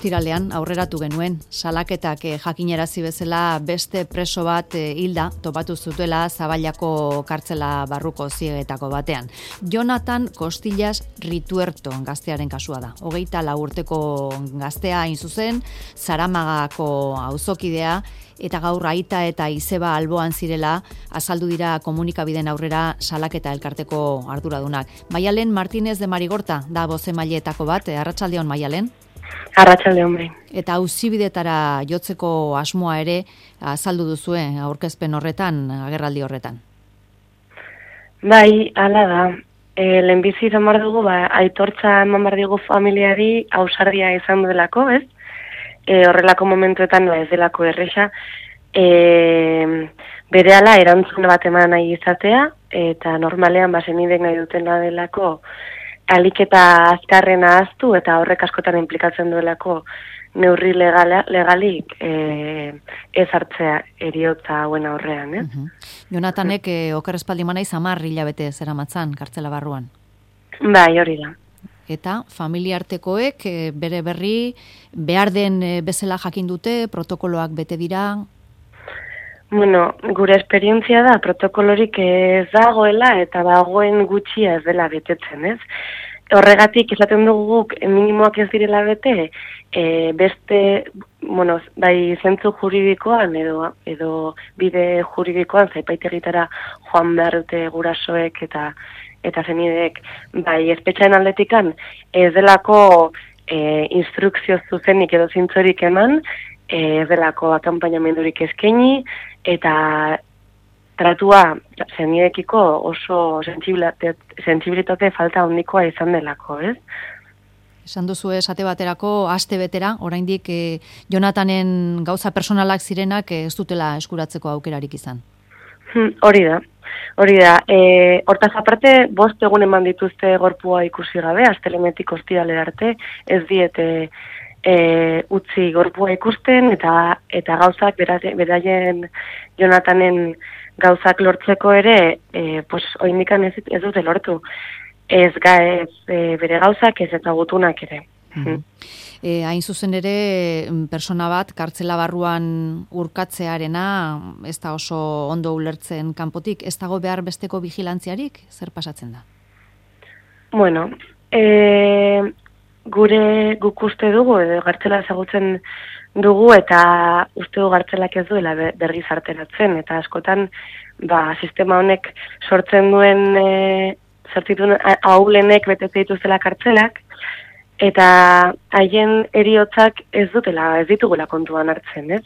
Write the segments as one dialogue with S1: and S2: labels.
S1: Ostiralean aurreratu genuen, salaketak jakinarazi bezala beste preso bat hilda topatu zutela Zaballako kartzela barruko ziegetako batean. Jonathan Costillas Rituerto gaztearen kasua da. 24 urteko gaztea hain zuzen, Zaramagako auzokidea, eta gaur aita eta izeba alboan zirela azaldu dira komunikabideen aurrera salaketa elkarteko arduradunak. Maialen Martínez de Marigorta da bozemaileetako bat, arratsaldeon Maialen.
S2: Arratsaldeon bai.
S1: Eta auzibidetara jotzeko asmoa ere azaldu duzue aurkezpen horretan, agerraldi horretan.
S2: Bai, hala da. Lehenbizi izan behar dugu, aitortza eman behar dugu familiari ausardia izan duelako, ez? Horrelako momentuetan ez delako erresa, berehala erantzun bat eman nahi izatea, eta normalean zenidek nahi dutena delako alik eta azkarrena ahaztu, eta horrek askotan implikatzen duelako neurri legalik ez hartzea eriotza hauen aurrean.
S1: Jonathanek oker espaldi manaiz 10 hilabete zeramatzan kartzela barruan.
S2: Bai, hori da.
S1: Eta familiartekoek bere berri behar den bezala jakin dute, protokoloak bete dira?
S2: Bueno, gure esperientzia da, protokolorik ez dagoela eta dagoen gutxia ez dela betetzen, ez? Horregatik esaten dugu guk minimoak ez direla bete, beste, bueno, bai zentzu juridikoan edo bide juridikoan zaipaitegitara joan behar dute gurasoek eta zenidek, bai espetxaen aldetikan ez delako instrukzio zuzenik edo zintzorik eman, ez delako akanpainamendurik eskaini, eta tratua zenidekiko oso sentsibilitate falta handikoa izan delako, ez?
S1: Esan duzu esate baterako, aste betera, oraindik Jonathanen gauza personalak zirenak ez dutela eskuratzeko aukerarik izan.
S2: Hori da. Hortaz aparte, 5 egun eman dituzte gorpua ikusi gabe, astelehenetik ostiralera arte, ez diete utzi gorpua ikusten, eta gauzak beraien Jonathanen gauzak lortzeko ere, oraindikan ez dute lortu. Ez bere gauzak, ez eta gutunak ere.
S1: Hain zuzen ere, persona bat, kartzela barruan urkatzearena, ez da oso ondo ulertzen kanpotik, ez dago behar besteko vigilantziarik? Zer pasatzen da?
S2: Bueno, guk uste dugu, edo kartzela ezagutzen dugu, eta uste du kartzelak ez duela berriz arteratzen, eta askotan, sistema honek sortzen duen, zertituen ahulenek betetze dituztela kartzelak, eta haien heriotzak ez ditugula kontuan hartzen, ez?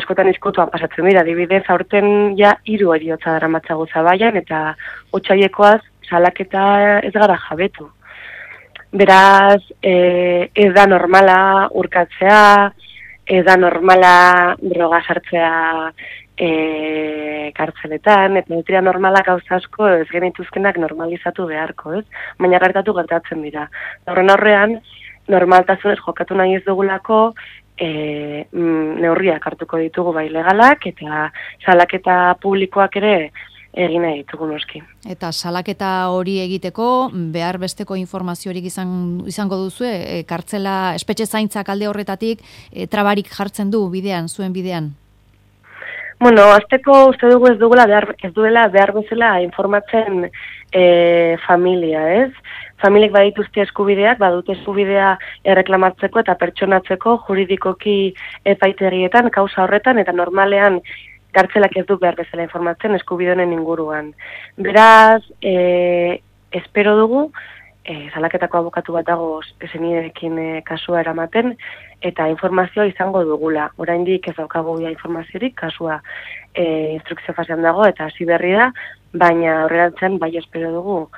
S2: Askotan izkutuan pasatzen dira, adibidez, aurten 3 heriotza daramatzagu Zabaian, eta otsailekoaz salaketa ez gara jabetu. Beraz, ez da normala urkatzea, ez da normala droga sartzea kartzeletan, eta ez dira normala gauza asko ez genituzkenak normalizatu beharko, ez? Baina gertatzen dira. Horren aurrean, normaltasunez jokatu nahi ez dugulako neurriak hartuko ditugu bai legalak, eta salaketa publikoak ere egin nahi ditugu noski.
S1: Eta salaketa hori egiteko, behar besteko informaziorik izango duzue, kartzela espetxe zaintzak alde horretatik, trabarik jartzen du bidean, zuen bidean?
S2: Bueno, azteko uste dugu ez duela behar bezala informatzen familia, ez? Familiek badituzte eskubideak, badute eskubidea erreklamatzeko eta pertsonatzeko juridikoki epaitegietan, kausa horretan, eta normalean kartzelak ez du behar bezala informatzen eskubide honen inguruan. Beraz, espero dugu, salaketako abokatu bat dago zeniderekin kasua eramaten, eta informazioa izango dugula. Oraindik ez daukagu informaziorik, kasua instrukzio fasean dago, eta hasi berri da, baina horrerantzen bai espero dugu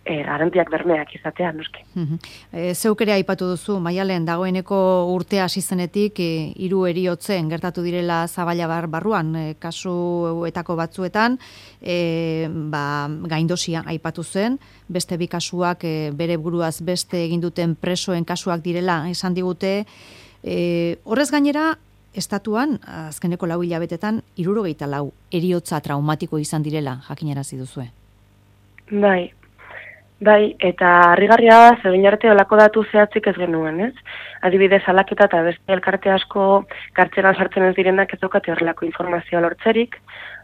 S2: garantiak bermeak izatea, noski.
S1: Zeuk ere aipatu duzu, Maialen, dagoeneko urtea hasi zenetik 3 heriotzen gertatu direla Zaballa barruan, kasuetako batzuetan, gaindosia aipatu zen, beste 2 kasuak bere buruaz beste egin duten presoen kasuak direla esan digute. Horrez gainera, estatuan, azkeneko 4 hilabetetan, 74 heriotza traumatiko izan direla, jakinarazi duzue.
S2: Bai. Bai, eta harrigarria da, zegoen arte olako datu zehatzik ez genuen, ez? Adibidez, salaketa eta beste elkarte asko kartzelan sartzen ez direnak ez daukate horrelako informazioa lortzerik,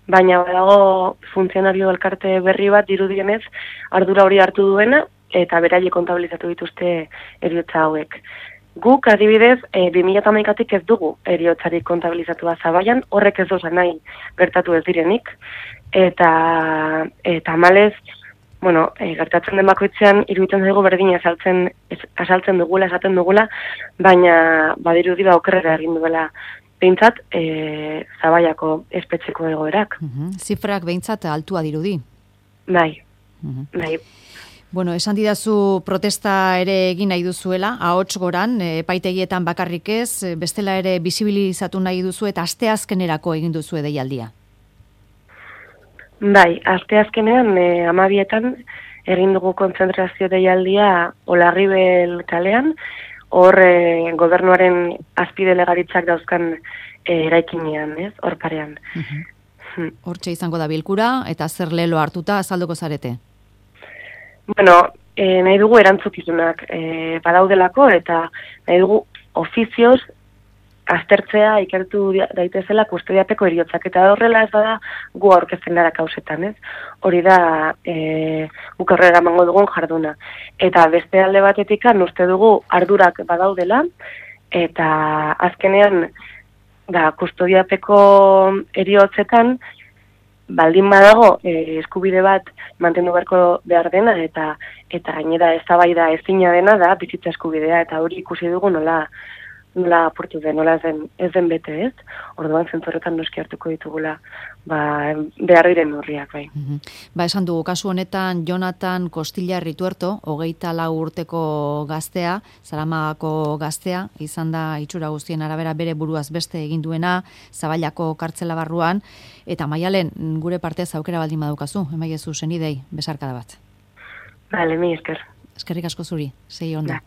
S2: baina badago funtzionario elkarte berri bat dirudienez ardura hori hartu duena eta beraiek kontabilizatu dituzte heriotza hauek. Guk, adibidez, 2011-tik ez dugu heriotzarik kontabilizatua Zabaian, horrek ez doza nahi gertatu ez direnik, eta malez, gertatzen den bakoitzean iruditzen zaigu berdina azaltzen dugula, esaten dugula, baina badirudi okerrera egin duela behintzat Zabaiako espetxeko egoerak.
S1: Zifrak behintzat altua dirudi.
S2: Bai, bai.
S1: Bueno, esan didazu protesta ere egin nahi duzuela, ahots goran, epaitegietan bakarrik ez, bestela ere bisibilizatu nahi duzu eta asteazkenerako egin duzu deialdia.
S2: Bai, asteazkenean 12etan egin dugu kontzentrazio deialdia Olarribel kalean, hor gobernuaren azpidelegaritzak dauzkan eraikinean, ez, hor parean.
S1: Hortxe izango da bilkura eta zer lelo hartuta azalduko zarete?
S2: Nahi dugu erantzukizunak badaudelako eta nahi dugu ofizioz aztertzea ikertu daitezela kustodiapeko heriotzak eta horrela ez bada gu aurkezten gara kausetan, ez? Hori da guk aurrera emango dugun jarduna. Eta beste alde batetik uste dugu ardurak badaudela eta azkenean kustodiapeko heriotzetan baldin badago eskubide bat mantendu beharko behar dena eta gainera eztabaida ezina dena da bizitza eskubidea eta hori ikusi dugu nola apurtu den, nola ez den bete, ez? Orduan zentzorretan noski hartuko ditugula behar diren horriak, bai.
S1: Esan dugu, kasu honetan Jonatan Kostillar Rituerto, 24 urteko gaztea, Zaramagako gaztea, izan da itxura guztien arabera bere buruaz beste egin duena, Zaballako kartzela barruan, eta Maialen, gure partez aukera baldin badukazu, emaiezu senidei, besarkada bat.
S2: Bale, mi esker.
S1: Eskerrik asko zuri, sei onda.